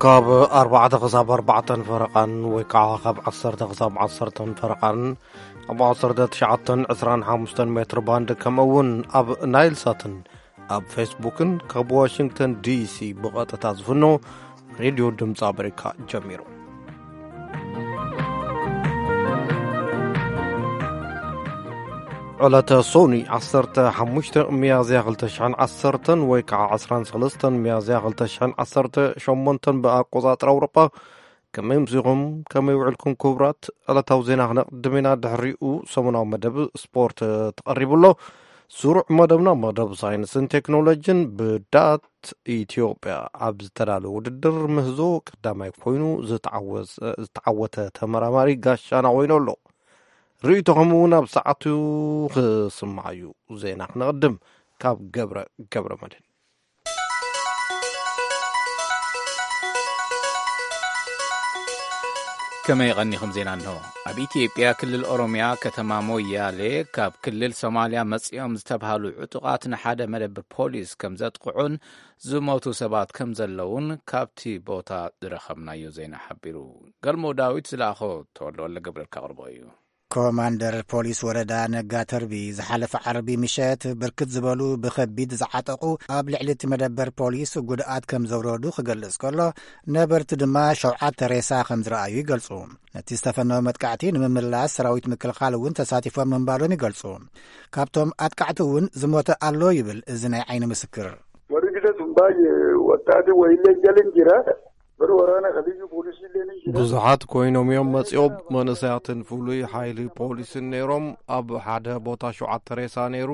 ካብ ኣርባዕተ ክሳብ ኣርባዕተን ፈረቓን ወይ ከዓ ካብ ዓሰርተ ክሳብ ዓሰርተን ፈረቓን ኣብ ዓሰርተ ትሽዓተን ዕስራን ሓሙሽተን ሜትር ባንድ፣ ከምኡ እውን ኣብ ናይል ሳትን ኣብ ፌስቡክን ካብ ዋሽንግተን ዲሲ ብቐጥታ ዝፍኖ ሬድዮ ድምፂ ኣሜሪካ ጀሚሩ። ዕለተ ሶኒ ዓሰርተ ሓሙሽተ ሚያዝያ ክልተ ሽሕን ዓሰርተን ወይ ከዓ ዕስራን ሰለስተን ሚያዝያ ክልተ ሽሕን ዓሰርተ ሸሞንተን ብኣቆጻጽራ ኣውሮጳ። ከመይ ምሲኹም? ከመይ ውዕልኩም ክቡራት? ዕለታዊ ዜና ክነቕድም ኢና። ድሕሪኡ ሰሙናዊ መደብ ስፖርት ተቐሪቡ ኣሎ። ስሩዕ መደብና መደብ ሳይንስን ቴክኖሎጂን ብዳት ኢትዮጵያ ኣብ ዝተዳለወ ውድድር ምህዞ ቀዳማይ ኮይኑ ዝተዓወሰ-፣ ዝተዓወተ ተመራማሪ ጋሻና ኮይኑ ኣሎ። ርእይቶኹም እውን ኣብ ሰዓቱ ክስማዕ እዩ። ዜና ክነቕድም ካብ ገብረ፣ ገብረ መድህን። ከመይ ቀኒኹም? ዜና እንሆ። ኣብ ኢትዮጵያ ክልል ኦሮሚያ ከተማ ሞያሌ ካብ ክልል ሶማልያ መጺኦም ዝተብሃሉ ዕጡቓት ንሓደ መደብር ፖሊስ ከም ዘጥቕዑን ዝሞቱ ሰባት ከም ዘለውን ካብቲ ቦታ ዝረኸብናዮ ዜና ሓቢሩ። ገልሞ ዳዊት ዝለኣኾ ተወልደ ወልደ ገብረልካ ኣቕርቦ እዩ። ኮማንደር ፖሊስ ወረዳ ነጋ ተርቢ ዝሓለፈ ዓርቢ ምሸት ብርክት ዝበሉ ብኸቢድ ዝዓጠቑ ኣብ ልዕሊ እቲ መደበር ፖሊስ ጉድኣት ከም ዘውረዱ ክገልጽ ከሎ፣ ነበርቲ ድማ ሸውዓተ ሬሳ ከም ዝረኣዩ ይገልጹ። ነቲ ዝተፈነወ መጥቃዕቲ ንምምላስ ሰራዊት ምክልኻል እውን ተሳቲፎም ምንባሮም ይገልጹ። ካብቶም ኣጥቃዕቲ እውን ዝሞተ ኣሎ ይብል እዚ ናይ ዓይኒ ምስክር። Warri gita sun baay'ee waxxaati wayiillee hin galin jira. Bara waraana ka liyyu poolisii illee ni jira. ብዙሓት ኮይኖም እዮም መጺኦም። መንእሰያትን ፍሉይ ሓይሊ ፖሊስን ነይሮም። ኣብ ሓደ ቦታ ሸውዓተ ሬሳ ነይሩ።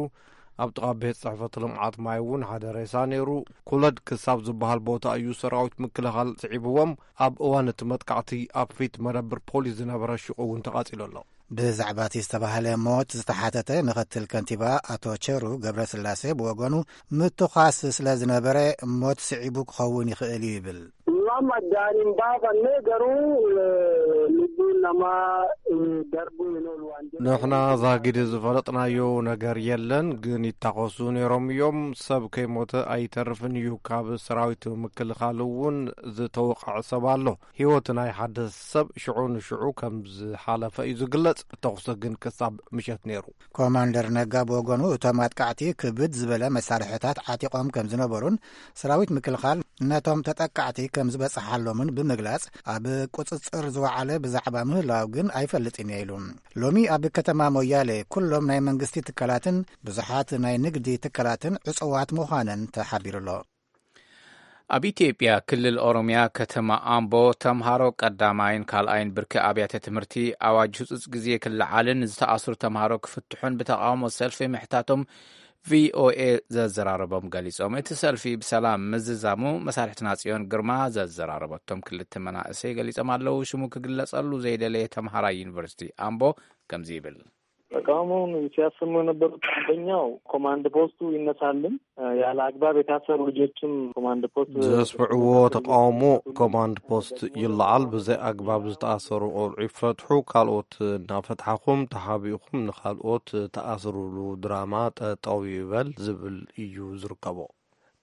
ኣብ ጥቓ ቤት ጽሕፈት ልምዓት ማይ እውን ሓደ ሬሳ ነይሩ። ኩለድ ክሳብ ዝበሃል ቦታ እዩ ሰራዊት ምክልኻል ስዒብዎም። ኣብ እዋን እቲ መጥቃዕቲ ኣብ ፊት መደብር ፖሊስ ዝነበረ ሹቕ እውን ተቓጺሉ ኣሎ። ብዛዕባ እቲ ዝተባህለ ሞት ዝተሓተተ ምኽትል ከንቲባ ኣቶ ቸሩ ገብረስላሴ ብወገኑ፣ ምትኳስ ስለ ዝነበረ ሞት ስዒቡ ክኸውን ይኽእል እዩ ይብል። Waan addaan hin baafanne garuu, eh, lubbuun namaa, eh, darbuu hin oolu waan jedhu. ንሕና ዛጊድ ዝፈለጥናዮ ነገር የለን፣ ግን ይታኾሱ ነይሮም እዮም። ሰብ ከይሞተ ኣይተርፍን እዩ። ካብ ሰራዊት ምክልኻል እውን ዝተወቕዐ ሰብ ኣሎ። ህይወት ናይ ሓደ ሰብ ሽዑ ንሽዑ ከም ዝሓለፈ እዩ ዝግለጽ። ተኹሲ ግን ክሳብ ምሸት ነይሩ። ኮማንደር ነጋ ብወገኑ፣ እቶም ኣጥቃዕቲ ክብድ ዝበለ መሳርሕታት ዓጢቖም ከም ዝነበሩን ሰራዊት ምክልኻል ነቶም ተጠቃዕቲ ከም ዝበጽሓሎምን ብምግላጽ፣ ኣብ ቁጽጽር ዝወዓለ ብዛዕባ ምህላው ግን ኣይፈልጥን እየ ኢሉ። ሎሚ ኣብ ከተማ ሞያሌ ኩሎም ናይ መንግስቲ ትካላትን ብዙሓት ናይ ንግዲ ትካላትን ዕጹዋት ምዃነን ተሓቢሩ ኣሎ። ኣብ ኢትዮጵያ ክልል ኦሮሚያ ከተማ ኣምቦ ተምሃሮ ቀዳማይን ካልኣይን ብርኪ ኣብያተ ትምህርቲ ኣዋጅ ህጹጽ ግዜ ክለዓልን ዝተኣስሩ ተምሃሮ ክፍትሑን ብተቃውሞ ሰልፊ ምሕታቶም ቪኦኤ ዘዘራረቦም ገሊጾም። እቲ ሰልፊ ብሰላም ምዝዛሙ መሳርሕትና ጽዮን ግርማ ዘዘራረበቶም ክልተ መናእሰይ ገሊጾም ኣለዉ። ሽሙ ክግለጸሉ ዘይደለየ ተምሃራይ ዩኒቨርሲቲ ኣምቦ ከምዚ ይብል። ተቃውሞውን ሲያሰሙ የነበሩት አንደኛው ኮማንድ ፖስቱ ይነሳልን፣ ያለ አግባብ የታሰሩ ልጆችም ኮማንድ ፖስት ዘስምዕዎ ተቃውሞ ኮማንድ ፖስት ይለዓል፣ ብዘይ ኣግባብ ዝተኣሰሩ ቆልዑ ይፈትሑ፣ ካልኦት እናፈትሓኹም ተሓቢእኹም ንኻልኦት ተኣስሩሉ ድራማ ጠጠው ይበል ዝብል እዩ ዝርከቦ።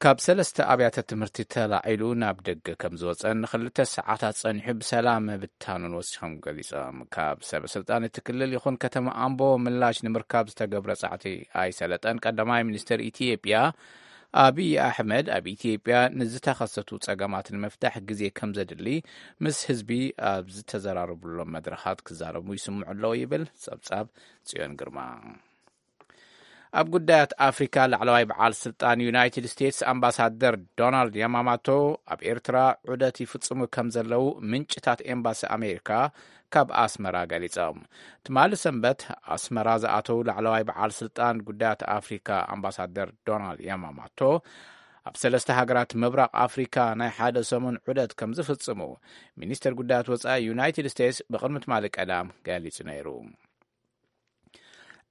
ካብ ሰለስተ ኣብያተ ትምህርቲ ተላዒሉ ናብ ደገ ከም ዝወጸን ንኽልተ ሰዓታት ጸኒሑ ብሰላም ምብታኑን ወሲኾም ገሊጾም። ካብ ሰበ ስልጣን እቲ ክልል ይኹን ከተማ ኣምቦ ምላሽ ንምርካብ ዝተገብረ ጻዕቲ ኣይሰለጠን። ቀዳማይ ሚኒስትር ኢትዮጵያ ኣብይ ኣሕመድ ኣብ ኢትዮጵያ ንዝተኸሰቱ ጸገማት ንምፍታሕ ግዜ ከም ዘድሊ ምስ ህዝቢ ኣብ ዝተዘራረቡሎም መድረኻት ክዛረቡ ይስምዑ ኣለዉ ይብል ጸብጻብ ጽዮን ግርማ። ኣብ ጉዳያት ኣፍሪካ ላዕለዋይ በዓል ስልጣን ዩናይትድ ስቴትስ ኣምባሳደር ዶናልድ ያማማቶ ኣብ ኤርትራ ዑደት ይፍጽሙ ከም ዘለዉ ምንጭታት ኤምባሲ ኣሜሪካ ካብ ኣስመራ ገሊጾም። ትማሊ ሰንበት ኣስመራ ዝኣተዉ ላዕለዋይ በዓል ስልጣን ጉዳያት ኣፍሪካ ኣምባሳደር ዶናልድ ያማማቶ ኣብ ሰለስተ ሃገራት ምብራቕ ኣፍሪካ ናይ ሓደ ሰሙን ዑደት ከም ዝፍጽሙ ሚኒስተር ጉዳያት ወጻኢ ዩናይትድ ስቴትስ ብቕድሚ ትማሊ ቀዳም ገሊጹ ነይሩ።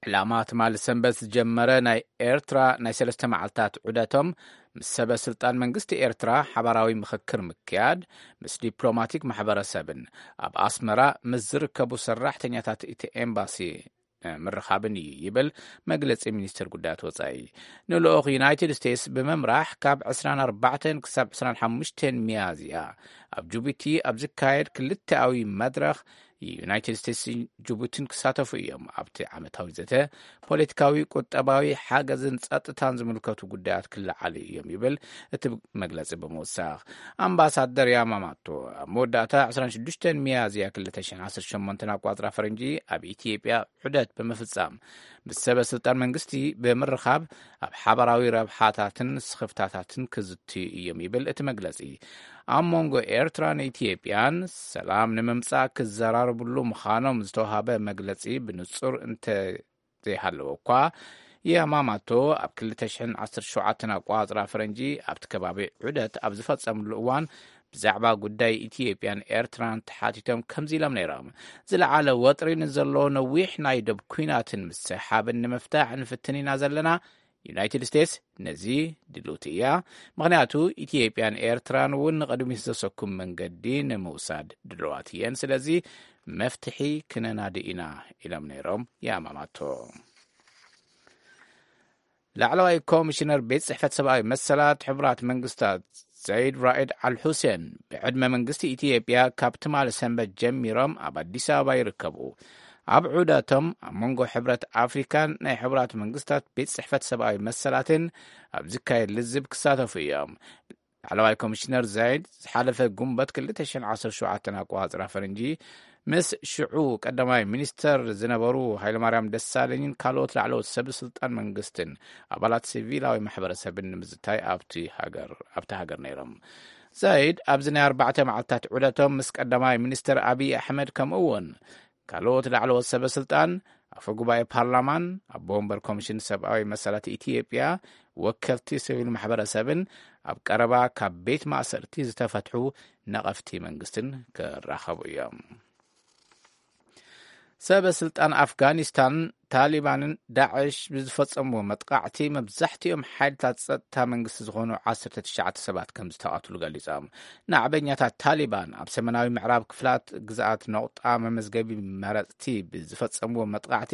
ዕላማ ትማሊ ሰንበት ዝጀመረ ናይ ኤርትራ ናይ ሰለስተ መዓልታት ዑደቶም ምስ ሰበ ስልጣን መንግስቲ ኤርትራ ሓባራዊ ምኽክር ምክያድ፣ ምስ ዲፕሎማቲክ ማሕበረሰብን ኣብ ኣስመራ ምስ ዝርከቡ ሰራሕተኛታት እቲ ኤምባሲ ምርኻብን እዩ ይብል መግለጺ ሚኒስትር ጉዳያት ወጻኢ። ንልኡኽ ዩናይትድ ስቴትስ ብምምራሕ ካብ ዕስራን ኣርባዕተን ክሳብ ዕስራን ሓሙሽተን ሚያዝያ ኣብ ጅቡቲ ኣብ ዝካየድ ክልተኣዊ መድረኽ ዩናይትድ ስቴትስን ጅቡቲን ክሳተፉ እዮም። ኣብቲ ዓመታዊ ዘተ ፖለቲካዊ፣ ቁጠባዊ፣ ሓገዝን ጸጥታን ዝምልከቱ ጉዳያት ክለዓሉ እዮም ይብል እቲ መግለጺ ብምውሳኽ። ኣምባሳደር ያማማቶ ኣብ መወዳእታ ዕስራን ሽዱሽተን ሚያዝያ ክልተ ሽሕን ዓሰርተ ሸሞንተን ኣቋጽራ ፈረንጂ ኣብ ኢትዮጵያ ዑደት ብምፍጻም ምስ ሰበ ስልጣን መንግስቲ ብምርኻብ ኣብ ሓባራዊ ረብሓታትን ስኽፍታታትን ክዝትዩ እዮም ይብል እቲ መግለጺ። ኣብ መንጎ ኤርትራን ኢትዮጵያን ሰላም ንምምጻእ ክዘራረብሉ ምዃኖም ዝተዋሃበ መግለጺ ብንጹር እንተ ዘይሃለወ እኳ፣ ያማማቶ ኣብ ክልተ ሽሕን ዓሰርተ ሸውዓተን ኣቋጽራ ፈረንጂ ኣብቲ ከባቢ ዑደት ኣብ ዝፈጸምሉ እዋን ብዛዕባ ጉዳይ ኢትዮጵያን ኤርትራን ተሓቲቶም ከምዚ ኢሎም ነይሮም። ዝለዓለ ወጥሪ ንዘሎ ነዊሕ ናይ ደብ ኲናትን ምስሕሓብን ንምፍታሕ ንፍትን ኢና ዘለና። ዩናይትድ ስቴትስ ነዚ ድልውቲ እያ። ምኽንያቱ ኢትዮጵያን ኤርትራን እውን ንቕድሚት ዘሰኩም መንገዲ ንምውሳድ ድልዋት እየን። ስለዚ መፍትሒ ክነናዲ ኢና ኢሎም ነይሮም ያማማቶ። ላዕለዋይ ኮሚሽነር ቤት ጽሕፈት ሰብኣዊ መሰላት ሕቡራት መንግስታት ዘይድ ራኢድ ኣል ሁሴን ብዕድመ መንግስቲ ኢትዮጵያ ካብ ትማሊ ሰንበት ጀሚሮም ኣብ ኣዲስ ኣበባ ይርከቡ። ኣብ ዑደቶም ኣብ መንጎ ሕብረት ኣፍሪካን ናይ ሕቡራት መንግስታት ቤት ጽሕፈት ሰብኣዊ መሰላትን ኣብ ዝካየድ ልዝብ ክሳተፉ እዮም። ላዕለዋይ ኮሚሽነር ዛይድ ዝሓለፈ ጉንበት ክልተ ሽሕን ዓሰርተ ሸውዓተን ኣቋጽራ ፈረንጂ ምስ ሽዑ ቀዳማይ ሚኒስተር ዝነበሩ ሃይለማርያም ደሳለኝን ካልኦት ላዕለዎት ሰብ ስልጣን መንግስትን ኣባላት ሲቪላዊ ማሕበረሰብን ንምዝታይ ኣብቲ ሃገር ኣብቲ ሃገር ነይሮም። ዛይድ ኣብዚ ናይ ኣርባዕተ መዓልታት ዑደቶም ምስ ቀዳማይ ሚኒስተር ኣብይ ኣሕመድ ከምኡ እውን ካልኦት ላዕለዎት ሰበ ስልጣን፣ ኣፈ ጉባኤ ፓርላማን ኣቦ ወንበር ኮሚሽን ሰብኣዊ መሰላት ኢትዮጵያ፣ ወከልቲ ሲቪል ማሕበረሰብን ኣብ ቀረባ ካብ ቤት ማእሰርቲ ዝተፈትሑ ነቐፍቲ መንግስትን ክራኸቡ እዮም። ሰበ ስልጣን ኣፍጋኒስታን ታሊባንን ዳዕሽ ብዝፈጸምዎ መጥቃዕቲ መብዛሕትኦም ሓይልታት ጸጥታ መንግስቲ ዝኾኑ ዓሰርተ ትሽዓተ ሰባት ከም ዝተቐትሉ ገሊጾም። ናዕበኛታት ታሊባን ኣብ ሰሜናዊ ምዕራብ ክፍላት ግዝኣት ነቑጣ መመዝገቢ መረጽቲ ብዝፈጸምዎ መጥቃዕቲ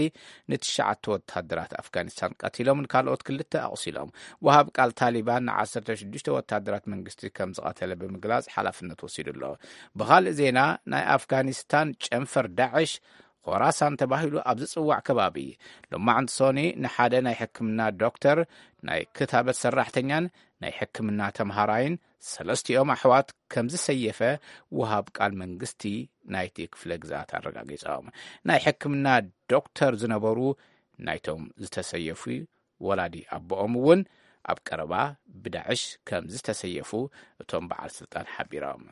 ንትሽዓተ ወታደራት ኣፍጋኒስታን ቀቲሎምን ካልኦት ክልተ ኣቑሲሎም። ወሃብ ቃል ታሊባን ንዓሰርተ ሽዱሽተ ወታደራት መንግስቲ ከም ዝቐተለ ብምግላጽ ሓላፍነት ወሲዱ ኣሎ። ብኻልእ ዜና ናይ ኣፍጋኒስታን ጨንፈር ዳዕሽ ኾራሳን ተባሂሉ ኣብ ዝጽዋዕ ከባቢ ሎማዕንቲ ሶኒ ንሓደ ናይ ሕክምና ዶክተር፣ ናይ ክታበት ሰራሕተኛን ናይ ሕክምና ተምሃራይን ሰለስቲኦም ኣሕዋት ከም ዝሰየፈ ወሃብ ቃል መንግስቲ ናይቲ ክፍለ ግዝኣት ኣረጋጊጾም። ናይ ሕክምና ዶክተር ዝነበሩ ናይቶም ዝተሰየፉ ወላዲ ኣቦኦም እውን ኣብ ቀረባ ብዳዕሽ ከም ዝተሰየፉ እቶም በዓል ስልጣን ሓቢሮም።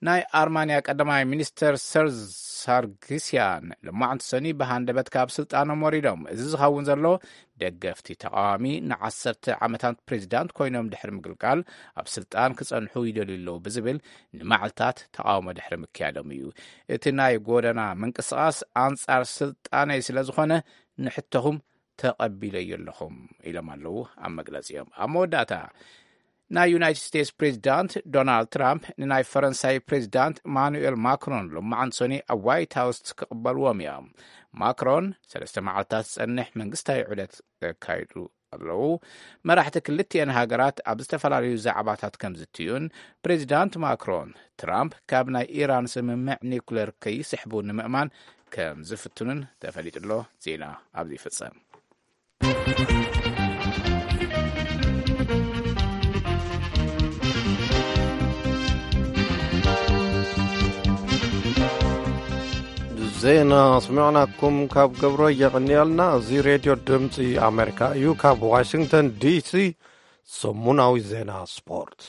ናይ ኣርማንያ ቀዳማይ ሚኒስተር ሰርዝ ሳርግስያን ሎማዕንቲ ሰኒ ብሃንደበት ካብ ስልጣኖም ወሪዶም። እዚ ዝኸውን ዘሎ ደገፍቲ ተቃዋሚ ንዓሰርተ ዓመታት ፕሬዚዳንት ኮይኖም ድሕሪ ምግልጋል ኣብ ስልጣን ክጸንሑ ይደልዩ ኣለዉ ብዝብል ንመዓልታት ተቃውሞ ድሕሪ ምክያዶም እዩ። እቲ ናይ ጎደና ምንቅስቃስ ኣንጻር ስልጣነይ ስለ ዝኾነ ንሕቶኹም ተቐቢለዮ ኣለኹም ኢሎም ኣለዉ ኣብ መግለጺኦም። ኣብ መወዳእታ ናይ ዩናይትድ ስቴትስ ፕሬዚዳንት ዶናልድ ትራምፕ ንናይ ፈረንሳይ ፕሬዚዳንት ማኑኤል ማክሮን ሎማዓንቲ ሰኒ ኣብ ዋይት ሃውስ ክቕበልዎም እዮም። ማክሮን ሰለስተ መዓልታት ዝጸንሕ መንግስታዊ ዑደት ዘካይዱ ኣለዉ። መራሕቲ ክልቲኤን ሃገራት ኣብ ዝተፈላለዩ ዛዕባታት ከም ዝትዩን ፕሬዚዳንት ማክሮን ትራምፕ ካብ ናይ ኢራን ስምምዕ ኒኩሌር ከይስሕቡ ንምእማን ከም ዝፍትኑን ተፈሊጡ ኣሎ። ዜና ኣብዚ ይፍጸም። ዜና ስሚዕናኩም ካብ ገብሮ የቐንየልና። እዚ ሬድዮ ድምፂ ኣሜሪካ እዩ። ካብ ዋሽንግተን ዲሲ ሰሙናዊ ዜና ስፖርት።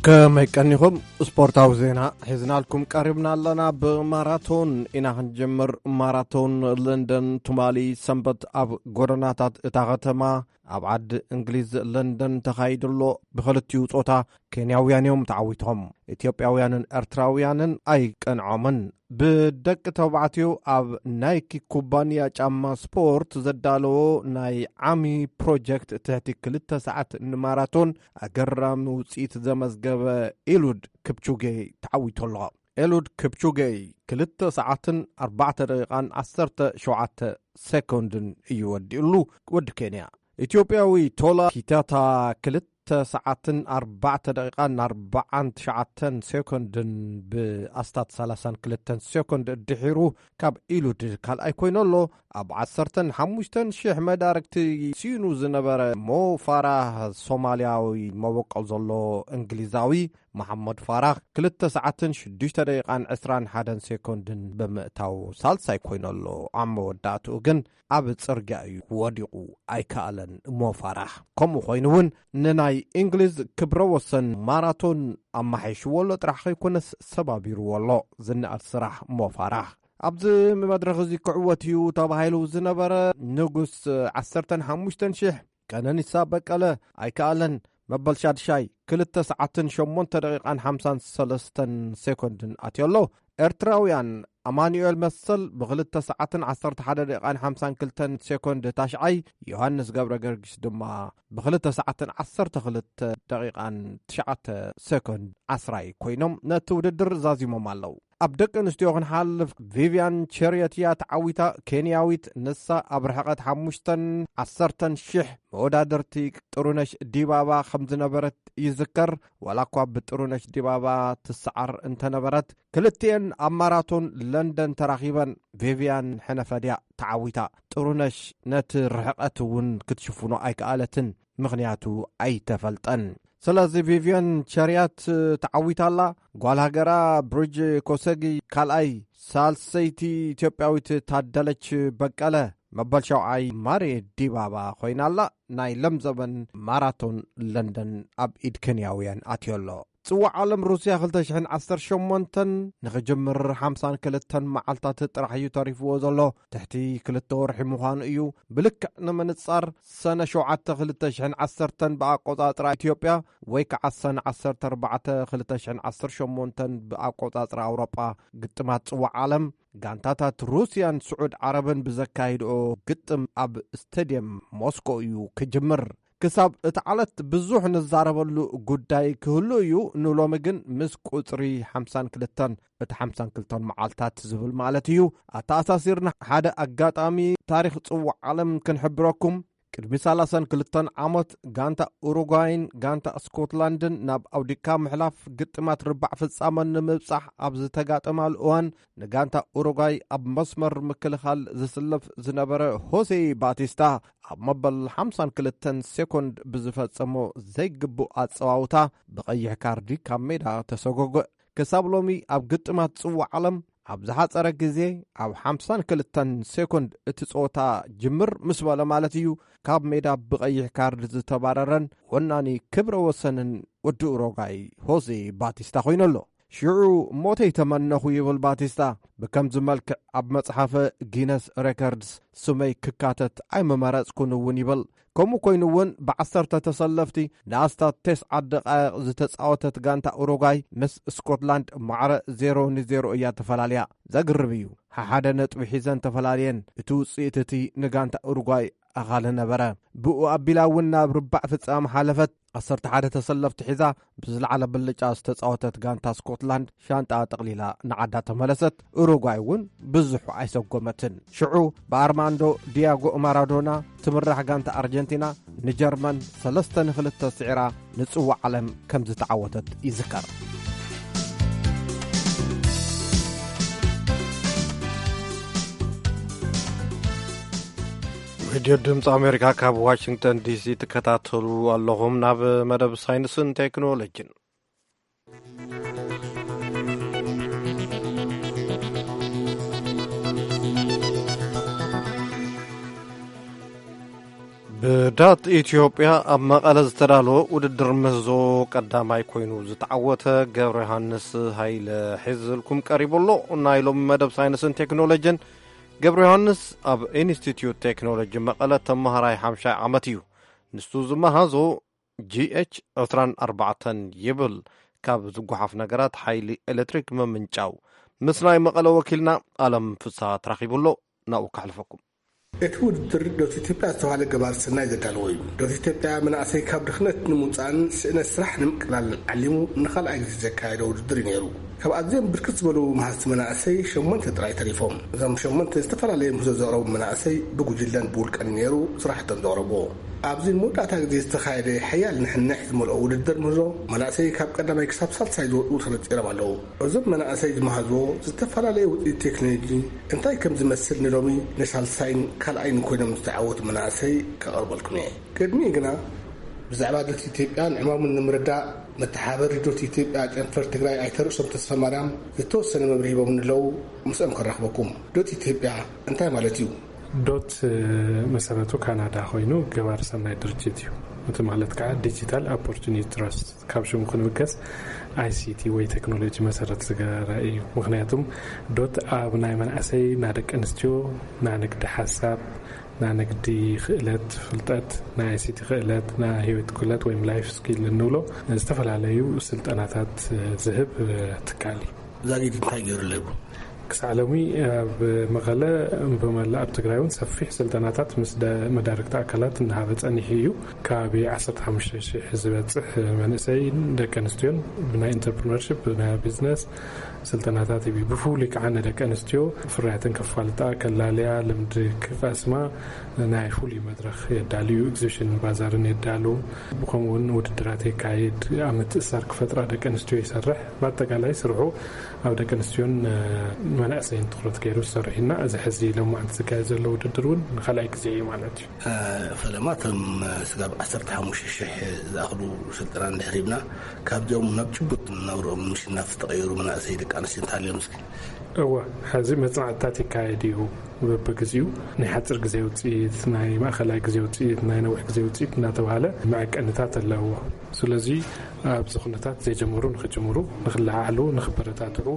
ከመይ ቀኒኹም? ስፖርታዊ ዜና ሒዝናልኩም ቀሪብና ኣለና። ብማራቶን ኢና ክንጀምር። ማራቶን ለንደን ትማሊ ሰንበት ኣብ ጎደናታት እታ ከተማ ኣብ ዓዲ እንግሊዝ ለንደን ተኻይዱ ኣሎ። ብኽልቲኡ ጾታ ኬንያውያን እዮም ተዓዊቶም። ኢትዮጵያውያንን ኤርትራውያንን ኣይቀንዖምን። ብደቂ ተባዕትዮ ኣብ ናይኪ ኩባንያ ጫማ ስፖርት ዘዳለዎ ናይ ዓሚ ፕሮጀክት ትሕቲ ክልተ ሰዓት ንማራቶን ኣገራሚ ውጽኢት ዘመዝገበ ኤሉድ ክፕቹጌ ተዓዊቱ ኣሎ። ኤሉድ ክፕቹጌ ክልተ ሰዓትን ኣርባዕተ ደቂቓን ዓሰርተ ሸውዓተ ሴኮንድን እዩ ወዲኡሉ። ወዲ ኬንያ። ኢትዮጵያዊ ቶላ ኪታታ ክልተ ሰዓትን ኣርባዕተ ደቂቓን ኣርባዓን ትሽዓተን ሴኮንድን ብኣስታት ሰላሳን ክልተን ሴኮንድ ድሒሩ ካብ ኢሉድ ካልኣይ ኮይኑ ኣሎ። ኣብ ዓሰርተን ሓሙሽተን ሽሕ መዳርግቲ ሲኑ ዝነበረ ሞ ፋራህ ሶማልያዊ መበቆል ዘሎ እንግሊዛዊ መሓመድ ፋራህ ክልተ ሰዓትን ሽዱሽተ ደቂቓን ዕስራን ሓደን ሴኮንድን ብምእታው ሳልሳይ ኮይኑ ኣሎ። ኣብ መወዳእትኡ ግን ኣብ ጽርግያ እዩ ወዲቑ፣ ኣይከኣለን ሞ ፋራህ። ከምኡ ኮይኑ እውን ንናይ እንግሊዝ ክብረ ወሰን ማራቶን ኣማሓይሽዎ ኣሎ ጥራሕ ከይኮነስ ሰባቢርዎ ኣሎ። ዝነኣድ ስራሕ ሞ ፋራህ። ኣብዚ መድረኽ እዚ ክዕወት እዩ ተባሂሉ ዝነበረ ንጉስ ዓሰርተን ሓሙሽተን ሽሕ ቀነኒሳ በቀለ ኣይከኣለን። መበል ሻድሻይ ክልተ ሰዓትን ሸሞንተ ደቂቓን ሓምሳን ሰለስተን ሴኮንድን ኣትዮ ኣሎ። ኤርትራውያን ኣማኑኤል መሰል ብክልተ ሰዓትን ዓሰርተ ሓደ ደቂቓን ሓምሳን ክልተን ሴኮንድ ታሽዓይ፣ ዮሃንስ ገብረ ገርጊስ ድማ ብክልተ ሰዓትን ዓሰርተ ክልተ ደቂቓን ትሽዓተ ሴኮንድ ዓስራይ ኮይኖም ነቲ ውድድር ዛዚሞም ኣለዉ። ኣብ ደቂ ኣንስትዮ ክንሓልፍ፣ ቪቪያን ቸርየት እያ ተዓዊታ። ኬንያዊት ንሳ ኣብ ርሕቐት ሓሙሽተን ዓሰርተን ሽሕ መወዳደርቲ ጥሩነሽ ዲባባ ከም ዝነበረት ይዝከር። ዋላ እኳ ብጥሩነሽ ዲባባ ትሰዓር እንተነበረት፣ ክልቲኤን ኣብ ማራቶን ለንደን ተራኺበን። ቪቪያን ሕነፈድያ ተዓዊታ። ጥሩነሽ ነቲ ርሕቐት እውን ክትሽፍኖ ኣይከኣለትን፣ ምኽንያቱ ኣይተፈልጠን። ስለዚ ቪቪያን ቸርያት ተዓዊታ ኣላ። ጓል ሃገራ ብሪጅ ኮሰጊ ካልኣይ፣ ሳልሰይቲ ኢትዮጵያዊት ታደለች በቀለ፣ መበል ሸውዓይ ማሬ ዲባባ ኮይና ኣላ። ናይ ለምዘበን ማራቶን ለንደን ኣብ ኢድ ኬንያውያን ኣትዮ ኣሎ። ጽዋዕ ዓለም ሩስያ ክልተ ሽሕን ዓሰርተ ሸሞንተን ንኽጅምር ሓምሳን ክልተን መዓልታት ጥራሕ እዩ ተሪፍዎ ዘሎ። ትሕቲ ክልተ ወርሒ ምዃኑ እዩ። ብልክዕ ንምንጻር ሰነ ሸውዓተ ክልተ ሽሕን ዓሰርተን ብኣቆጻጽራ ኢትዮጵያ ወይ ከዓ ሰነ ዓሰርተ ኣርባዕተ ክልተ ሽሕን ዓሰርተ ሸሞንተን ብኣቆጻጽራ ኣውሮጳ ግጥማት ጽዋዕ ዓለም ጋንታታት ሩስያን ስዑድ ዓረብን ብዘካይድኦ ግጥም ኣብ ስቴድየም ሞስኮ እዩ ክጅምር። ክሳብ እቲ ዓለት ብዙሕ ንዛረበሉ ጉዳይ ክህሉ እዩ። ንሎሚ ግን ምስ ቁጽሪ ሓምሳን ክልተን፣ እቲ ሓምሳን ክልተን መዓልታት ዝብል ማለት እዩ፣ ኣተኣሳሲርና ሓደ ኣጋጣሚ ታሪኽ ጽዋዕ ዓለም ክንሕብረኩም። ቅድሚ ሰላሳን ክልተን ዓመት ጋንታ ኡሩጓይን ጋንታ ስኮትላንድን ናብ ኣውዲካ ምሕላፍ ግጥማት ርባዕ ፍጻመን ንምብጻሕ ኣብ ዝተጋጠማሉ እዋን፣ ንጋንታ ኡሩጓይ ኣብ መስመር ምክልኻል ዝስለፍ ዝነበረ ሆሴ ባቲስታ፣ ኣብ መበል ሓምሳን ክልተን ሴኮንድ ብዝፈጸሞ ዘይግቡእ ኣጸዋውታ ብቐይሕ ካርዲ ካብ ሜዳ ተሰጎገ። ክሳብ ሎሚ ኣብ ግጥማት ጽዋዕ ዓለም ኣብ ዝሓጸረ ግዜ፣ ኣብ ሓምሳን ክልተን ሴኮንድ እቲ ጸወታ ጅምር ምስ በለ ማለት እዩ፣ ካብ ሜዳ ብቐይሕ ካርድ ዝተባረረን ወናኒ ክብረ ወሰንን ወዲ ኡሮጋይ ሆዜ ባቲስታ ኮይኑ ኣሎ። ሽዑ ሞተይ ተመነኹ ይብል ባቲስታ። ብከምዚ መልክዕ ኣብ መጽሓፈ ጊነስ ሬከርድስ ስመይ ክካተት ኣይምመረጽኩን እውን ይብል። ከምኡ ኮይኑ እውን ብዓሰርተ ተሰለፍቲ ንኣስታት ተስዓ ደቓይቕ ዝተጻወተት ጋንታ ኡሩጓይ ምስ ስኮትላንድ ማዕረ ዜሮ ንዜሮ እያ ተፈላልያ። ዘግርም እዩ። ሓሓደ ነጥቢ ሒዘን ተፈላልየን። እቲ ውጽኢት እቲ ንጋንታ ኡሩጓይ ኣኻሊ ነበረ። ብኡ ኣቢላ እውን ናብ ርባዕ ፍጻመ ሓለፈት። ዓሰርተ ሓደ ተሰለፍቲ ሒዛ ብዝለዓለ ብልጫ ዝተጻወተት ጋንታ ስኮትላንድ ሻንጣ ጠቕሊላ ንዓዳ ተመለሰት። ኡሩጓይ እውን ብዙሕ ኣይሰጎመትን። ሽዑ ብኣርማንዶ ዲያጎ ማራዶና ትምራሕ ጋንታ ኣርጀንቲና ንጀርመን ሰለስተ ንክልተ ስዒራ ንጽዋዕ ዓለም ከም ዝተዓወተት ይዝከር። ሬድዮ ድምፂ ኣሜሪካ ካብ ዋሽንግተን ዲሲ ትከታተሉ ኣለኹም። ናብ መደብ ሳይንስን ቴክኖሎጂን። ብዳት ኢትዮጵያ ኣብ መቐለ ዝተዳለወ ውድድር ምህዞ ቀዳማይ ኮይኑ ዝተዓወተ ገብረ ዮሃንስ ሃይለ ሒዝልኩም ቀሪቡ ኣሎ። ናይ ሎሚ መደብ ሳይንስን ቴክኖሎጂን። ገብረ ዮሃንስ ኣብ ኢንስቲትዩት ቴክኖሎጂ መቐለ ተመሃራይ ሓምሻይ ዓመት እዩ። ንሱ ዝመሃዞ ጂ ኤች ዕስራን ኣርባዕተን ይብል። ካብ ዝጓሓፍ ነገራት ሓይሊ ኤሌክትሪክ ምምንጫው። ምስ ናይ መቐለ ወኪልና ኣለም ፍስሃ ተራኺቡ ኣሎ። ናብኡ ከሕልፈኩም። እቲ ውድድር ዶት ኢትዮጵያ ዝተባህለ ገባር ሰናይ ዘዳለዎ እዩ። ዶት ኢትዮጵያ መናእሰይ ካብ ድኽነት ንምውፃእን ስእነት ስራሕ ንምቅላልን ዓሊሙ ንኻልኣይ ግዜ ዘካየዶ ውድድር እዩ ነይሩ። ካብ ኣዝዮም ብርክት ዝበሉ መሃዝቲ መናእሰይ ሸሞንተ ጥራይ ተሪፎም። እዞም ሸሞንተ ዝተፈላለየ ምህዞ ዘቕረቡ መናእሰይ ብጉጅለን ብውልቀን እዩ ነይሩ ስራሕቶም ዘቕረብዎ። ኣብዚ ንመወዳእታ ግዜ ዝተኻየደ ሓያል ንሕንሕ ዝመልኦ ውድድር ምህዞ መናእሰይ ካብ ቀዳማይ ክሳብ ሳልሳይ ዝወፁ ተነፂሮም ኣለዉ። እዞም መናእሰይ ዝመሃዝዎ ዝተፈላለየ ውፅኢት ቴክኖሎጂ እንታይ ከም ዝመስል ንሎሚ ንሳልሳይን ካልኣይን ኮይኖም ዝተዓወቱ መናእሰይ ከቐርበልኩም እየ። ቅድሚኡ ግና ብዛዕባ ዶት ኢትዮጵያን ዕማሙን ንምርዳእ መተሓበሪ ዶት ኢትዮጵያ ጨንፈር ትግራይ ኣይተ ርእሶም ተስፋ ማርያም ዝተወሰነ መብርሂ ሂቦም ኣለዉ። ምስኦም ከራኽበኩም። ዶት ኢትዮጵያ እንታይ ማለት እዩ? ዶት መሰረቱ ካናዳ ኮይኑ ገባር ሰናይ ድርጅት እዩ። እቲ ማለት ከዓ ዲጂታል ኦፖርቹኒቲ ትረስት፣ ካብ ሽሙ ክንብገስ ኣይሲቲ ወይ ቴክኖሎጂ መሰረት ዝገበረ እዩ። ምክንያቱም ዶት ኣብ ናይ መናእሰይ ና ደቂ ኣንስትዮ ና ንግዲ ሓሳብ ና ንግዲ ክእለት ፍልጠት ና ኣይሲቲ ክእለት ና ህይወት ክእለት ወይም ላይፍ ስኪል እንብሎ ዝተፈላለዩ ስልጠናታት ዝህብ ትካል እዩ። ዛጊድ እንታይ ገይሩ ኣለዎ? ክሳዕ ሎሚ ኣብ መቐለ ብመላእ ኣብ ትግራይ እውን ሰፊሕ ስልጠናታት ምስ ደ- መዳርግቲ ኣካላት እናሃበ ፀኒሑ እዩ። ከባቢ ዓሰርተ ሓሙሽተ ሽሕ ዝበፅሕ መንእሰይን ደቂ ኣንስትዮን ብናይ ኢንተርፕርነርሽፕ ብናይ ቢዝነስ ስልጠናታት ይህብ። ብፍሉይ ከዓ ንደቂ ኣንስትዮ ፍርያተን ከፋልጣ ከላልያ ልምዲ ክቐስማ ናይ ፍሉይ መድረኽ የዳልዩ። ኤግዚቢሽን ባዛርን የዳሉ። ከምኡ እውን ውድድራት የካይድ። ኣብ ምትእሳር ክፈጥራ ደቂ ኣንስትዮ ይሰርሕ። ብኣጠቃላይ ስርሑ ኣብ ደቂ ኣንስትዮን መናእሰይን ትኩረት ገይሩ ዝሰርሕ እና እዚ ሕዚ ሎማዓንቲ ዝካየድ ዘሎ ውድድር እውን ንካልኣይ ግዜ እዩ ማለት እዩ። ፈለማ እቶም ስጋብ ዓሰርተ ሓሙሽተ ሽሕ ዝኣኽሉ ስልጠና እንድሕር ሂብና ካብዚኦም ናብ ጭቡጥ ናብርኦም ምሽናፍ ዝተቐየሩ መናእሰይ ደቂ ኣንስትዮ እንተሃልዮም እስኪ? እወ፣ ሕዚ መጽናዕትታት ይካየድ እዩ። በብግዚኡ ናይ ሓፂር ግዜ ውፅኢት፣ ናይ ማእኸላይ ግዜ ውፅኢት፣ ናይ ነዊሕ ግዜ ውፅኢት እናተባሃለ መዐቀንታት ኣለዎ። ስለዚ ኣብዚ ኩነታት ዘይጀመሩ ንክጅምሩ፣ ንክለዓዓሉ፣ ንክበረታትዑ፣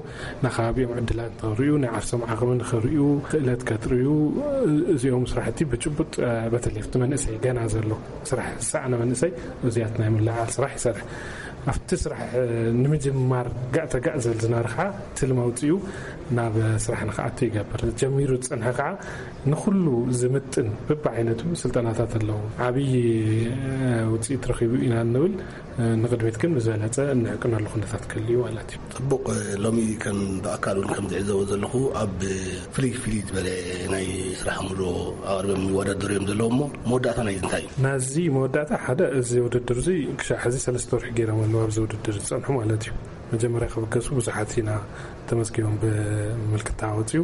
ንከባቢኦም ዕድላት ንክርእዩ፣ ናይ ዓርሶም ዓቕሚ ንክርእዩ፣ ክእለት ከጥርዩ፣ እዚኦም ስራሕቲ ብጭቡጥ በተለይ ኣብቲ መንእሰይ ገና ዘሎ ስራሕ ዝሰኣነ መንእሰይ እዚያት ናይ ምልዓል ስራሕ ይሰርሕ። ኣብቲ ስራሕ ንምጅማር ጋእ ተጋእ ዘል ዝናርካ ትልሚ ኣውፅኡ ናብ ስራሕ ንክኣቱ ይገብር። ጀሚሩ ዝፅንሐ ከዓ ንኩሉ ዝምጥን በብዓይነቱ ስልጠናታት ኣለዉ። ዓብዪ ውፅኢት ረኺቡ ኢና እንብል። ንቕድሚት ግን ብዝበለፀ እንዕቅነሉ ኩነታት ክህሉ እዩ ማለት እዩ። ፅቡቕ። ሎሚ ከም ብኣካል እውን ከም ዝዕዘቦ ዘለኹ ኣብ ፍልይ ፍልይ ዝበለ ናይ ስራሕ ሙሉ ኣቕርቦም ይወዳደሩ እዮም ዘለዉ። እሞ መወዳእታ ናይ እንታይ እዩ? ናዚ መወዳእታ ሓደ እዚ ውድድር እዚ ክሻዕ ሕዚ ሰለስተ ወርሒ ገይሮም ኣለዉ ኣብዚ ውድድር ዝፀንሑ ማለት እዩ። መጀመርያ ክብገሱ ብዙሓት ኢና ተመዝጊቦም ብምልክታ ወፂኡ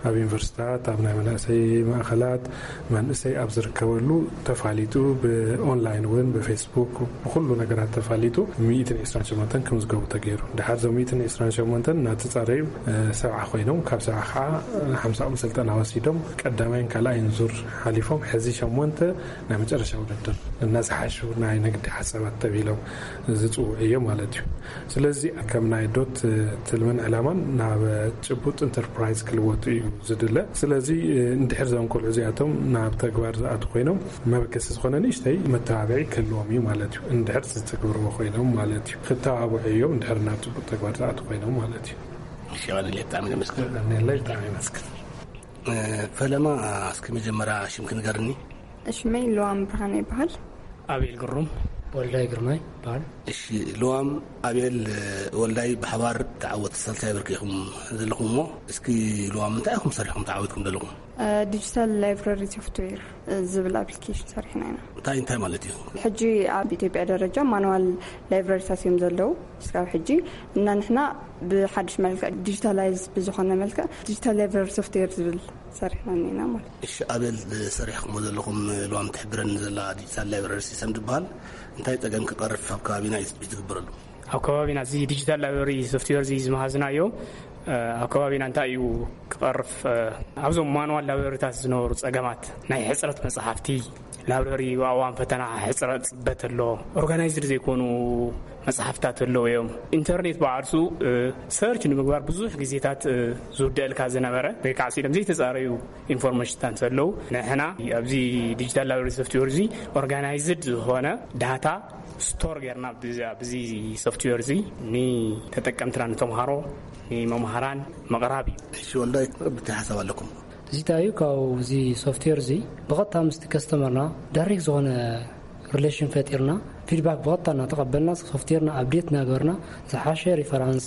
ኣብ ዩኒቨርሲታት ኣብ ናይ መናእሰይ ማእኸላት መንእሰይ ኣብ ዝርከበሉ ተፋሊጡ ብኦንላይን እውን ብፌስቡክ ብኩሉ ነገራት ተፋሊጡ ሚእትን ዕስራን ሸሞንተን ክምዝገቡ ተገይሩ። ድሓር እዞም ሚእትን ዕስራን ሸሞንተን እናተፃረዩ ሰብዓ ኮይኖም ካብ ሰብዓ ከዓ ሓምሳኦም ስልጠና ወሲዶም ቀዳማይን ካልኣይን ዙር ሓሊፎም ሕዚ ሸሞንተ ናይ መጨረሻ ውድድር እናዝሓሹ ናይ ንግዲ ሓሳባት ተቢሎም ዝፅውዑ እዮም ማለት እዩ። ስለዚ ከም ናይ ዶት ትልምን ዕላማን ናብ ጭቡጥ ኢንተርፕራይዝ ክልወጡ እዩ ዝድለ። ስለዚ እንድሕር እዞም ቆልዑ እዚኣቶም ናብ ተግባር ዝኣቱ ኮይኖም መበገሲ ዝኾነ ንእሽተይ መተባብዒ ክህልዎም እዩ ማለት እዩ። እንድሕር ዝተግብርዎ ኮይኖም ማለት እዩ። ክተባብዑ እዮም እንድሕር ናብ ጭቡጥ ተግባር ዝኣቱ ኮይኖም ማለት እዩ። እሺ፣ የቐንየለይ፣ ብጣዕሚ ነመስግን። የቐንየለይ፣ ብጣዕሚ ነመስግን። ፈለማ፣ እስኪ መጀመርያ ሽምኪ ንገርኒ። ሽመይ ልዋም ብርሃነ ይበሃል። ኣቤል ግሩም። ወልዳይ ግርማይ ይበሃል። እሺ፣ ልዋም፣ ኣቤል፣ ወልዳይ ብሓባር ተዓወቲ ሳልሳይ ብርኪ ኢኹም ዘለኹም እሞ፣ እስኪ ልዋም፣ እንታይ ኢኹም ሰሪሕኩም ተዓዊትኩም ዘለኹም? ዲጂታል ላይብረሪ ሶፍትዌር ዝብል ኣፕሊኬሽን ሰሪሕና ኢና። እንታይ እንታይ ማለት እዩ? ሕጂ ኣብ ኢትዮጵያ ደረጃ ማኑዋል ላይብረሪታት እዮም ዘለዉ። እስካብ ሕጂ እና ንሕና ብሓድሽ መልክዕ ዲጂታላይዝ ብዝኾነ መልክዕ ዲጂታል ላይብረሪ ሶፍትዌር ዝብል ሰሪሕና እኒና ማለት እዩ። እሺ፣ ኣቤል፣ ሰሪሕኩሞ ዘለኹም ልዋም ትሕብረኒ ዘላ ዲጂታል ላይብረሪ ሲስተም ዝበሃል እንታይ ጸገም ክቐርፍ ኣብ ከባቢና እዩ ትጽቢት ዝግበረሉ? ኣብ ከባቢና እዚ ዲጂታል ላይብረሪ ሶፍትዌር እዚ ዝመሃዝናዮ ኣብ ከባቢና እንታይ እዩ ክቐርፍ? ኣብዞም ማኑዋል ላይብረሪታት ዝነበሩ ጸገማት ናይ ሕጽረት መጽሓፍቲ፣ ላብረሪ ኣብ እዋን ፈተና ሕፅረት ፅበት ኣሎ። ኦርጋናይዝድ ዘይኮኑ መፅሓፍታት ኣለዉ እዮም። ኢንተርኔት ብዓርሱ ሰርች ንምግባር ብዙሕ ግዜታት ዝውደእልካ ዝነበረ ወይ ከዓ ስኢሎም ዘይተፃረዩ ኢንፎርሜሽንታት ኣለዉ። ንሕና ኣብዚ ዲጂታል ላይብረሪ ሶፍትዌር እዚ ኦርጋናይዝድ ዝኾነ ዳታ ስቶር ጌርና ብዚ ሶፍትዌር እዚ ንተጠቀምትና ንተምሃሮ ንመምሃራን ምቕራብ እዩ። እሺ ወልዳይ፣ ብቲ ሓሳብ ኣለኩም? እዚ እንታይ እዩ? ካብኡ እዚ ሶፍትዌር እዚ ብቐጥታ ምስቲ ከስተመርና ዳይሬክት ዝኾነ ሪሌሽን ፈጢርና፣ ፊድባክ ብቐጥታ እናተቐበልና፣ ሶፍትዌርና ኣፕዴት እናገበርና፣ ዝሓሸ ሪፈራንስ፣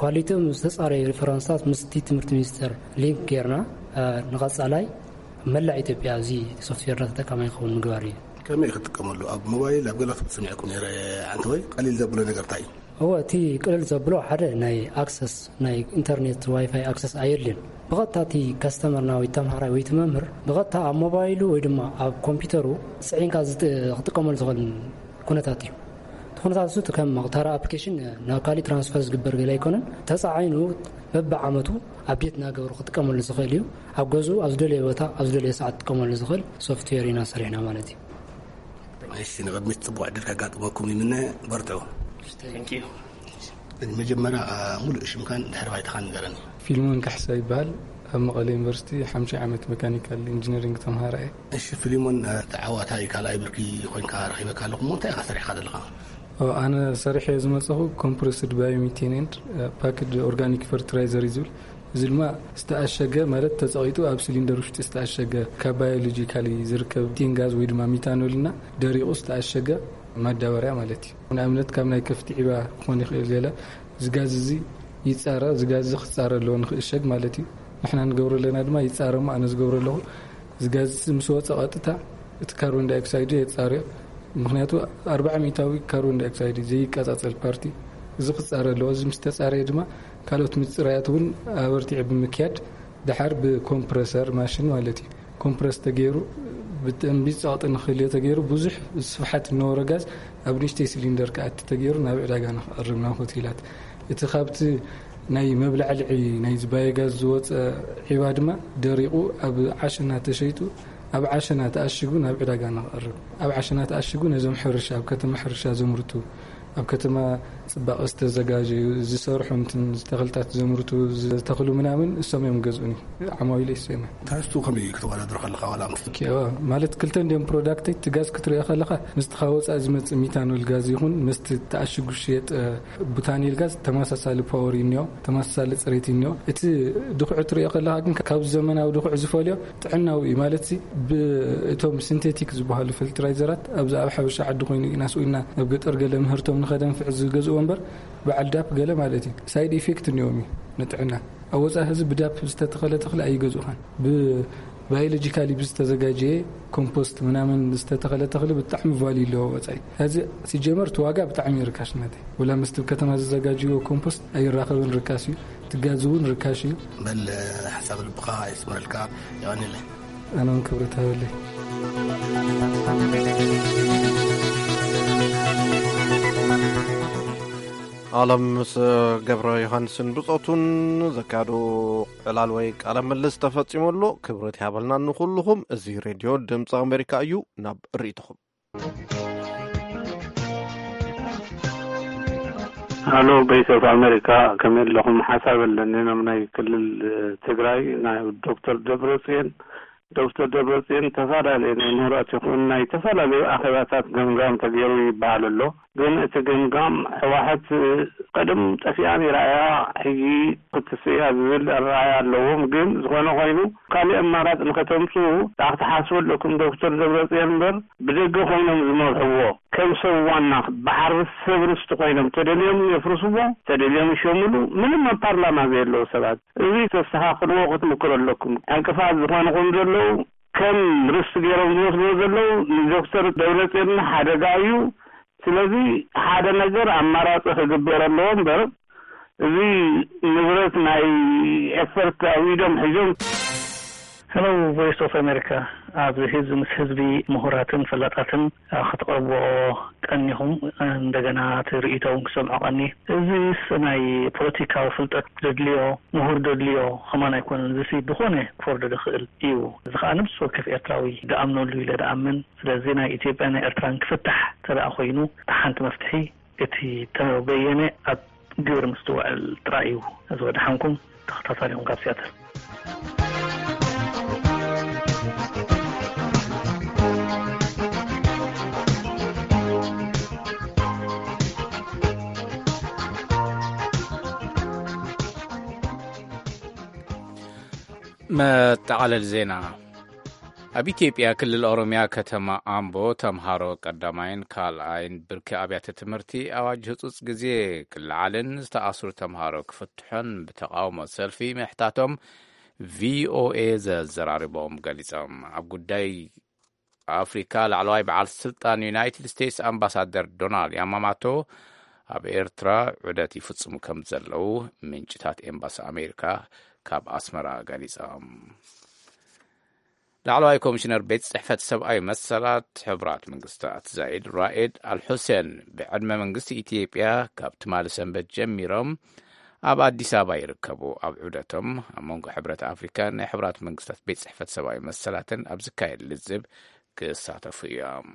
ኳሊቲኦም ዝተፃረዩ ሪፈራንስታት ምስቲ ትምህርቲ ሚኒስቴር ሊንክ ጌርና፣ ንቐፃላይ መላእ ኢትዮጵያ እዚ ሶፍትዌርና ተጠቃማይ ክኸውን ምግባር እዩ። ከመይ ክትጥቀመሉ? ኣብ ሞባይል ኣብ ገለ ክትሰሚዐኩም ነይረ። ኣንተ ወይ ቀሊል ዘብሎ ነገር እንታይ እዩ? እወ፣ እቲ ቅልል ዘብሎ ሓደ ናይ ኣክሰስ፣ ናይ ኢንተርኔት ዋይፋይ ኣክሰስ ኣየድልን። ብቐጥታ እቲ ከስተመርና ወይ ተምሃራይ ወይ እቲ መምህር ብቐጥታ ኣብ ሞባይሉ ወይ ድማ ኣብ ኮምፒውተሩ ጽዒንካ ዝጥ-፣ ክጥቀመሉ ዝኽእል ኩነታት እዩ። እቲ ኩነታት እሱ እቲ ከም ተራ ኣፕሊኬሽን ናብ ካሊእ ትራንስፈር ዝግበር ገለ ኣይኮነን። ተጻዒኑ በብዓመቱ ኣፕዴት እናገበሩ ክጥቀመሉ ዝኽእል እዩ። ኣብ ገዝኡ ኣብ ዝደለየ ቦታ ኣብ ዝደለየ ሰዓት ክጥቀመሉ ዝኽእል ሶፍትዌር ኢና ሰሪሕና ማለት እዩ። እሺ፣ ንቕድሚት ጽቡቕ ዕድል ከጋጥመኩም ይምነ። በርትዑ። Thank you። መጀመርያ፣ አ፣ ሙሉእ ሽምካን ድሕሪ ባይታኻን ንገረኒ። ፊልሞን ካሕሳ ይበሃል። ኣብ መቐለ ዩኒቨርሲቲ ሓምሻይ ዓመት መካኒካል ኢንጂነሪንግ ተምሃራይ። እሺ ፊልሞን፣ አ፣ ተዓዋታይ ካልኣይ ብርኪ ኮይንካ ረኺበካ ኣለኹ። እሞ እንታይ ኢኻ ሰሪሕካ ዘለኻ? ኦ፣ ኣነ ሰሪሐ ዝመጸኹ ኮምፕረስድ ባዮሚቴን ኤንድ ፓክድ ኦርጋኒክ ፈርትላይዘር እዩ ዝብል። እዚ ድማ ዝተኣሸገ ማለት ተጸቒጡ ኣብ ሲሊንደር ውሽጢ ዝተኣሸገ ካብ ባዮሎጂካሊ ዝርከብ ሚቴን ጋዝ ወይ ድማ ሚታኖል እና ደሪቑ ዝተኣሸገ ማዳበርያ ማለት እዩ። ንኣብነት ካብ ናይ ከፍቲ ዒባ ክኾን ይኽእል ገለ። እዚ ጋዝ እዚ ይጻረ፣ እዚ ጋዝ እዚ ክጻረ ኣለዎ ንኽእሸግ ማለት እዩ። ንሕና ንገብሮ ኣለና ድማ ይጻረ እሞ ኣነ ዝገብሮ ኣለኹ። እዚ ጋዝ እዚ ምስ ወጸ ቀጥታ እቲ ካርቦን ዳይኦክሳይድ የጻርዮ። ምኽንያቱ ኣርባዓ ሚእታዊ ካርቦን ዳይኦክሳይድ እዩ ዘይቃጻጸል ፓርቲ። እዚ ክጻረ ኣለዎ። እዚ ምስ ተጻረየ ድማ ካልኦት ምጽራያት እውን ኣበርቲዑ ብምክያድ ደሓር ብኮምፕረሰር ማሽን ማለት እዩ። ኮምፕረስ ተገይሩ ብደንቢ ጸቕጢ ንክህልዮ ተገይሩ ብዙሕ ስፍሓት እነበሮ ጋዝ ኣብ ንእሽተይ ሲሊንደር ክኣቲ ተገይሩ ናብ ዕዳጋ ንክቐርብ ናብ ሆቴላት። እቲ ካብቲ ናይ መብላዕልዒ ናይ ባዮጋዝ ዝወፀ ዒባ ድማ ደሪቑ ኣብ ዓሸና ተሸይጡ ኣብ ዓሸና ተኣሽጉ ናብ ዕዳጋ ንክቐርብ። ኣብ ዓሸና ተኣሽጉ ነዞም ሕርሻ፣ ኣብ ከተማ ሕርሻ ዘምርቱ፣ ኣብ ከተማ ጽባቐ ዝተዘጋጀዩ ዝሰርሑ እንትን ተኽልታት ዘምርቱ ዝተኽሉ ምናምን እሶም እዮም ገዝኡኒ። ዓማዊሉ እሶም እዮም። ትሕዝቱ ከመይ እዩ? ክተወዳድሮ ከለኻ ዋላ ምስ ኦኬ፣ ዋ፣ ማለት ክልተ እንዲዮም ፕሮዳክተይ። እቲ ጋዝ ክትሪኦ ከለኻ ምስቲ ካብ ወጻኢ ዝመጽእ ሚታኖል ጋዝ ይኹን ምስቲ ተኣሽጉ ዝሽየጥ፣ እ፣ ቡታኔል ጋዝ ተመሳሳሊ ፓወር እዩ እኒኦ፣ ተመሳሳሊ ጽሬት እዩ እኒኦ። እቲ ድኹዒ ትሪኦ ከለኻ ግን ካብ ዘመናዊ ድኹዒ ዝፈልዮ ጥዕናዊ እዩ። ማለት ሲ ብ-፣ እቶም ሲንቴቲክ ዝበሃሉ ፈርቲላይዘራት ኣብዚ ኣብ ሓበሻ ዓዲ ኮይኑ ኢና ስኢልና ናብ ገጠር ገለ ምህርቶም ንኸደንፍዕ ዝገዝእዎ እምበር በዓል ዳፕ ገለ ማለት እዩ ሳይድ ኢፌክት እኒኦም እዩ ንጥዕና። ኣብ ወጻኢ ህዝቢ ብዳፕ ዝተተኸለ ተኽሊ ኣይገዝኡኻን። ብባዮሎጂካሊ ብዝተዘጋጀየ ኮምፖስት ምናምን ዝተተኸለ ተኽሊ ብጣዕሚ ቫልዩ ኣለዎ ወጻኢ። እዚ ሲጀመር እቲ ዋጋ ብጣዕሚ እዩ ርካሽ ናተይ። ወላ ምስቲ ከተማ ዝዘጋጅዎ ኮምፖስት ኣይራኸብን፣ ርካሽ እዩ። እቲ ጋዝ እውን ርካሽ እዩ። በል ሓሳብ ልብኻ የስምረልካ። የቐንየለይ። ኣነ እውን ክብረት ሃበለይ። ኣለም ምስ ገብረ ዮሃንስን ብጾቱን ዘካየዶ ዕላል ወይ ቃለ ምልልስ ተፈጺሙ ኣሎ። ክብረት ይሃበልና ንኹልኹም። እዚ ሬድዮ ድምፂ ኣሜሪካ እዩ። ናብ ርእይቶኹም። ሃሎ፣ ቮይስ ኦፍ ኣሜሪካ፣ ከመይ ኣለኹም? ሓሳብ ኣለኒ። ናብ ናይ ክልል ትግራይ ናይ ዶክተር ደብረጽዮን፣ ዶክተር ደብረጽዮን ተፈላለየ ናይ ምሁራት ይኹን ናይ ዝተፈላለዩ ኣኼባታት ገምጋም ተገይሩ ይበሃል ኣሎ። ግን እቲ ገምጋም ህወሓት ቀደም ጠፊኣ ነይራ እያ፣ ሕጂ ክትስእ እያ ዝብል ኣረኣእያ ኣለዎም። ግን ዝኾነ ኮይኑ ካሊእ ኣማራፂ ንኸተምፅኡ ደኣ ክትሓስቡ ኣለኩም። ዶክተር ደብረፅዮን እምበር ብደገ ኮይኖም ዝመርሕዎ ከም ሰብ ዋና በዓል ሰብ ርስቲ ኮይኖም ተደልዮም የፍርስዎ፣ ተደልዮም ይሸምሉ። ምንም ኣብ ፓርላማ ዘየለዉ ሰባት። እዚ ተስተኻኽልዎ ክትምክሩ ኣለኩም። ዕንቅፋት ዝኾንኹም ዘለዉ ከም ርስቲ ገይሮም ዝወስድዎ ዘለዉ ንዶክተር ደብረፅዮን ሓደጋ እዩ። ስለዚ ሓደ ነገር ኣማራፂ ክግበር ኣለዎ እምበር እዚ ንብረት ናይ ኤፈርት ኣብ ኢዶም ሒዞም። Hello, Voice of America. ኣብዚ ህዝቢ ምስ ህዝቢ፣ ምሁራትን ፈላጣትን ክትቐርብዎ ቀኒኹም፣ እንደገና እቲ ርእይቶ እውን ክሰምዖ ቀኒ። እዚስ ናይ ፖለቲካዊ ፍልጠት ደድልዮ፣ ምሁር ደድልዮ ከማን ኣይኮነን። እዚሲ ዝኾነ ክፈርዶ ዝኽእል እዩ። እዚ ኸኣ ነብሲ ወከፍ ኤርትራዊ ድኣምነሉ ኢለ ድኣምን። ስለዚ ናይ ኢትዮጵያ ናይ ኤርትራን ክፍታሕ እንተ ደኣ ኮይኑ፣ እታ ሓንቲ መፍትሒ እቲ ተበየነ ኣብ ግብሪ ምስ ትውዕል ጥራይ እዩ። እዚ ወደሓንኩም፣ ተኸታታሊኹም ካብ ሲያትል። መጠቓለሊ ዜና። ኣብ ኢትዮጵያ ክልል ኦሮሚያ ከተማ ኣምቦ ተምሃሮ ቀዳማይን ካልኣይን ብርኪ ኣብያተ ትምህርቲ ኣዋጅ ህጹጽ ግዜ ክለዓልን ዝተኣስሩ ተምሃሮ ክፍትሑን ብተቓውሞ ሰልፊ ምሕታቶም ቪኦኤ ዘዘራርቦም ገሊጾም። ኣብ ጉዳይ ኣፍሪካ ላዕለዋይ በዓል ስልጣን ዩናይትድ ስቴትስ ኣምባሳደር ዶናልድ ያማማቶ ኣብ ኤርትራ ዑደት ይፍጽሙ ከም ዘለዉ ምንጭታት ኤምባሲ ኣሜሪካ ካብ ኣስመራ ገሊጾም። ላዕለዋይ ኮሚሽነር ቤት ጽሕፈት ሰብኣዊ መሰላት ሕቡራት መንግስታት ዛይድ ራኤድ ኣልሑሴን ብዕድመ መንግስቲ ኢትዮጵያ ካብ ትማሊ ሰንበት ጀሚሮም ኣብ ኣዲስ ኣበባ ይርከቡ። ኣብ ዑደቶም ኣብ መንጎ ሕብረት ኣፍሪካን ናይ ሕቡራት መንግስታት ቤት ጽሕፈት ሰብኣዊ መሰላትን ኣብ ዝካየድ ልዝብ ክሳተፉ እዮም።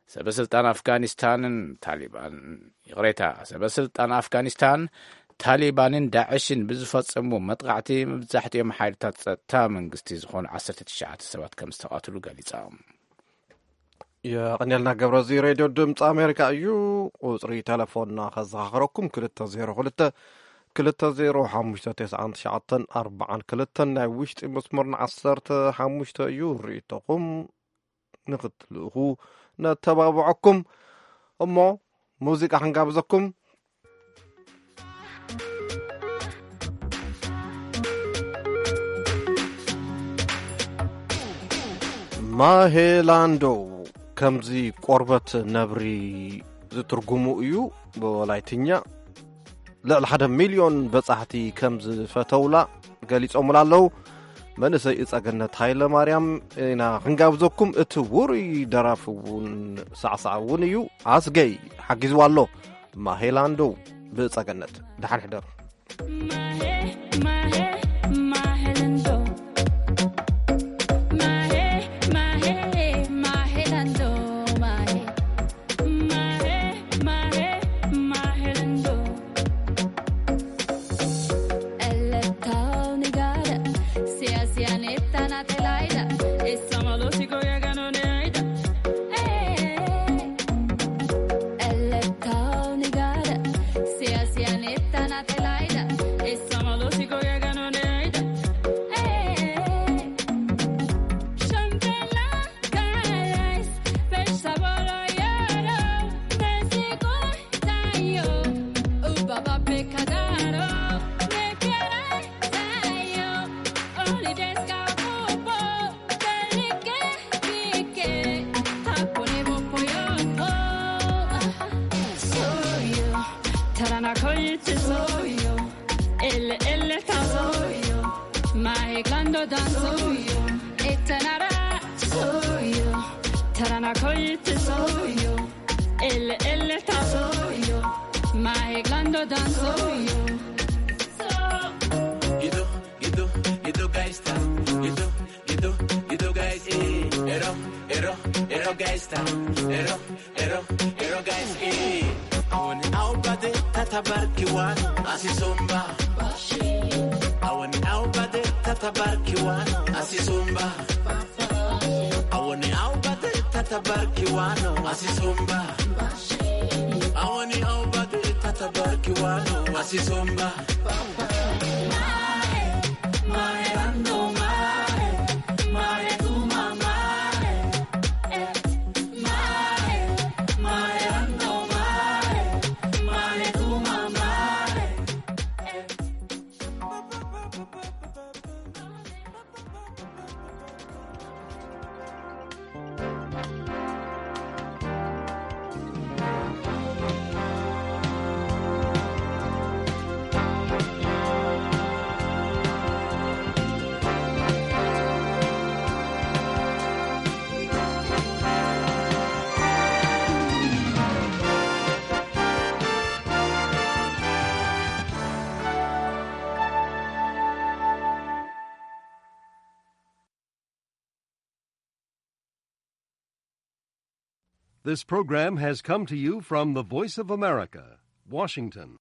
ሰበ ስልጣን ኣፍጋኒስታንን ታሊባን፣ ይቕሬታ፣ ሰበ ስልጣን ኣፍጋኒስታን፣ ታሊባንን ዳዕሽን ብዝፈጸሙ መጥቓዕቲ መብዛሕትኦም ሓይልታት ጸጥታ መንግስቲ ዝኾኑ ዓሰርተ ትሽዓተ ሰባት ከም ዝተቐትሉ ገሊጾም። የቐንየልና ገብረ፣ እዚ ሬድዮ ድምፂ ኣሜሪካ እዩ። ቁፅሪ ቴሌፎንና ከዘኻኽረኩም፣ ክልተ ዜሮ ክልተ፣ ክልተ ዜሮ ሓሙሽተ፣ ተስዓን ትሽዓተን ኣርባዓን ክልተን፣ ናይ ውሽጢ መስመርና ዓሰርተ ሓሙሽተ እዩ። ርእይቶኹም ንኽትልእኹ ነተባብዐኩም። እሞ ሙዚቃ ክንጋብዘኩም። ማሄላንዶ፣ ከምዚ ቆርበት ነብሪ ዝትርጉሙ እዩ ብወላይትኛ። ልዕሊ ሓደ ሚልዮን በጻሕቲ ከም ዝፈተውላ ገሊጾምላ ኣለዉ። መንእሰይ እጸገነት ሃይለ ማርያም ኢና ክንጋብዘኩም። እቲ ውሩይ ደራፊ እውን ሳዕሳዕ እውን እዩ። ኣስገይ ሓጊዝዋ ኣሎ። ማሄላንዶ ብእጸገነት። ደሓን ሕደሩ። This program has come to you from the Voice of America, Washington.